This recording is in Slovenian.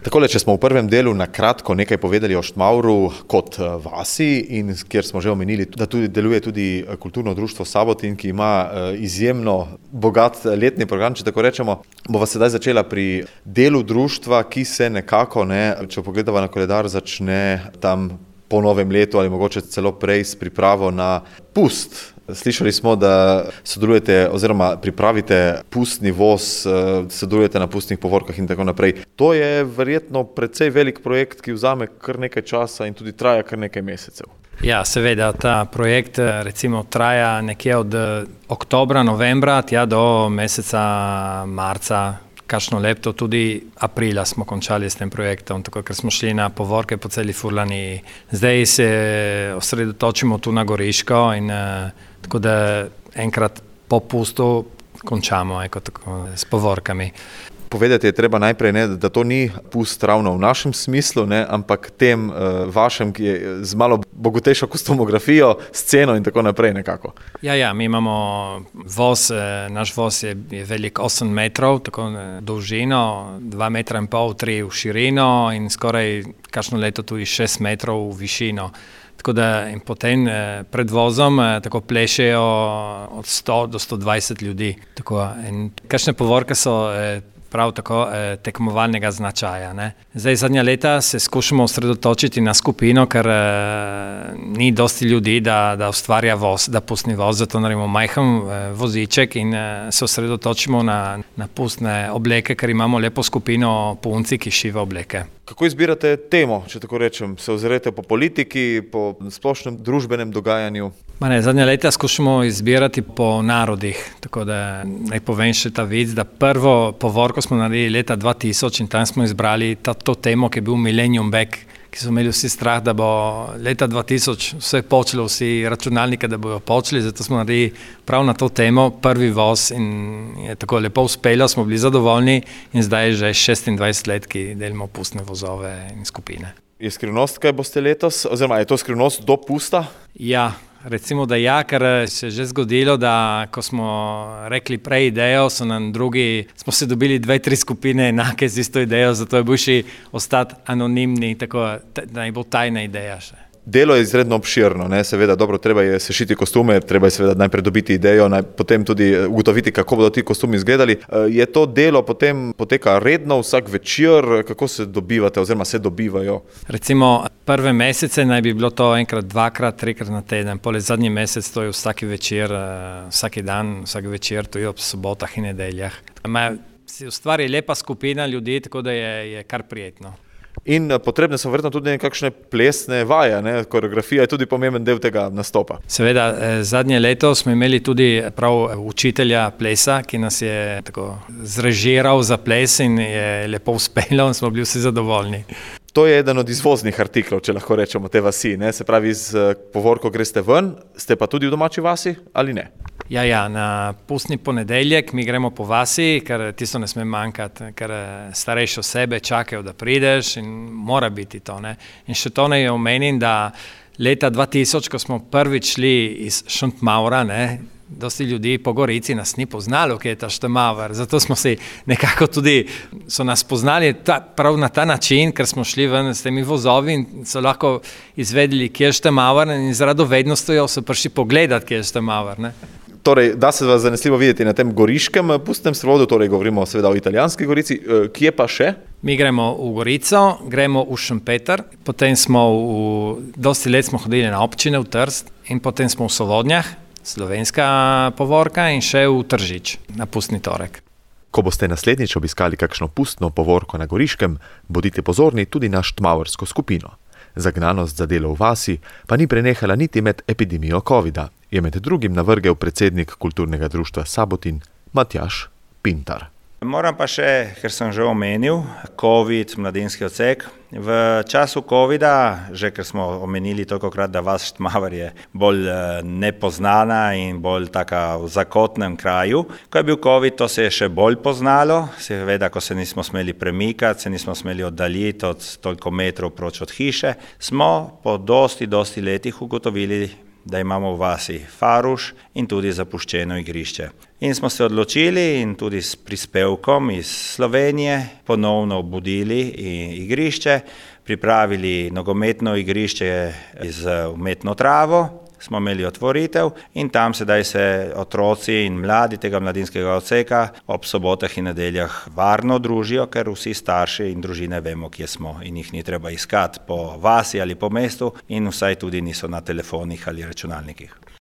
Takole, če smo v prvem delu na kratko nekaj povedali o Štmavru kot vasi in kjer smo že omenili, da tudi deluje tudi kulturno društvo Sabotin, ki ima izjemno bogat letni program, če tako rečemo, bova sedaj začela pri delu društva, ki se nekako, če pogledava na koledar, začne tam po novem letu ali mogoče celo prej s pripravo na pust. Slišali smo, da sodelujete oziroma pripravite pustni voz, sodelujete na pustnih povorkah in tako naprej. To je verjetno precej velik projekt, ki vzame kar nekaj časa in tudi traja kar nekaj mesecev. Ja, seveda, ta projekt recimo traja nekje od oktobra, novembra, tja do meseca marca, kakšno leto, tudi aprila smo končali s tem projektom, tako ker smo šli na povorke po celi Furlaniji. Zdaj se osredotočimo tu na Goriško in tako da enkrat po pustu končamo s povorkami. Povedati je treba najprej, da to ni pust ravno v našem smislu, ampak tem vašem, ki je z malo bogatejšo kostumografijo, sceno in tako naprej nekako. Ja, mi imamo voz, naš voz je velik 8 metrov, tako dolžino, 2,5 metra, 3 v širino in skoraj kakšno leto tudi 6 metrov v višino. Tako da in potem pred vozom tako plešejo od 100 do 120 ljudi. Tako, in kakšne povorke so prav tako tekmovalnega značaja. Zdaj zadnja leta se skušamo osredotočiti na skupino, ker ni dosti ljudi, da ustvarja voz, da pustni voz, zato naredimo majhen voziček in se osredotočimo na pustne obleke, ker imamo lepo skupino punci, ki šiva obleke. Kako izbirate temo, če tako rečem? Se ozrete po politiki, po splošnem družbenem dogajanju? Zadnja leta skušamo izbirati po narodih, tako da naj povem še ta vic, da prvo povorko smo naredili leta 2000 in tam smo izbrali to temo, ki je bil Millennium Back, ki so imeli vsi strah, da bo leta 2000 vse počelo, vsi računalnike, da bojo počeli, zato smo naredili prav na to temo prvi voz in je tako lepo uspelo, smo bili zadovoljni in zdaj je že 26 let, ki delimo pustne vozove in skupine. Je skrivnost, kaj boste letos, oziroma je to skrivnost do pusta? Ja. Recimo, da ja, ker se je že zgodilo, da ko smo rekli prej idejo, smo se dobili 2-3 skupine enake z isto idejo, zato je boljši ostati anonimni, tako da je bo tajna ideja še. Delo je izredno obširno, seveda dobro, treba je sešiti kostume, treba je seveda najprej dobiti idejo, potem tudi ugotoviti, kako bodo ti kostumi izgledali. Je to delo potem poteka redno, vsak večer, kako se dobivate oziroma se dobivajo? Recimo prve mesece naj bi bilo to enkrat, 2-krat, 3-krat na teden, poleg zadnji mesec to je vsaki večer, vsaki dan, vsak večer, to je ob sobotah in nedeljah. Se ustvari lepa skupina ljudi, tako da je kar prijetno. In potrebne so verjetno tudi nekakšne plesne vaje, koreografija je tudi pomemben del tega nastopa. Seveda, zadnje leto smo imeli tudi prav učitelja plesa, ki nas je tako zrežiral za ples in je lepo uspelo in smo bili vsi zadovoljni. To je eden od izvoznih artiklov, če lahko rečemo, te vasi, se pravi z povorko greste ven, ste pa tudi v domači vasi ali ne? Ja, na pustni ponedeljek mi gremo po vasi, ker tisto ne sme manjkati, ker starejše osebe čakajo, da prideš in mora biti to. In še to naj omenim, da leta 2000, ko smo prvič šli iz Štmavra, dosti ljudi po Gorici nas ni poznalo, kje je ta Štmavr, zato smo si nekako tudi, so nas poznali prav na ta način, ker smo šli ven s temi vozovi in so lahko izvedeli, kje je Štmavr in z radovednostjo so prišli pogledati, kje je Štmavr. Torej, da se vas zanesljivo videti na tem goriškem pustnem sprovodu, torej govorimo seveda o italijanski Gorici, kje pa še? Mi gremo v Gorico, gremo v Šempeter, potem dosti let smo hodili na občine v Trst in potem smo v Sovodnjah, slovenska povorka in še v Tržič na pustni torek. Ko boste naslednjič obiskali kakšno pustno povorko na Goriškem, bodite pozorni tudi na štmavrsko skupino. Zagnanost za delo v vasi pa ni prenehala niti med epidemijo covida, je med drugim navrgel predsednik kulturnega društva Sabotin Matjaž Pintar. Moram pa še, ker sem že omenil, COVID, mladinski odsek. V času covida, že ker smo omenili tolikokrat, da vas Štmavr je bolj nepoznana in bolj taka v zakotnem kraju. Ko je bil COVID, to se je še bolj poznalo, seveda, ko se nismo smeli premikati, se nismo smeli oddaljiti od toliko metrov proč od hiše, smo po dosti letih ugotovili, da imamo v vasi Faruš in tudi zapuščeno igrišče. In smo se odločili in tudi s prispevkom iz Slovenije ponovno obudili igrišče, pripravili nogometno igrišče z umetno travo, smo imeli otvoritev in tam sedaj se otroci in mladi tega mladinskega odseka ob sobotah in nedeljah varno družijo, ker vsi starši in družine vemo, kje smo in jih ni treba iskati po vasi ali po mestu in vsaj tudi niso na telefonih ali računalnikih.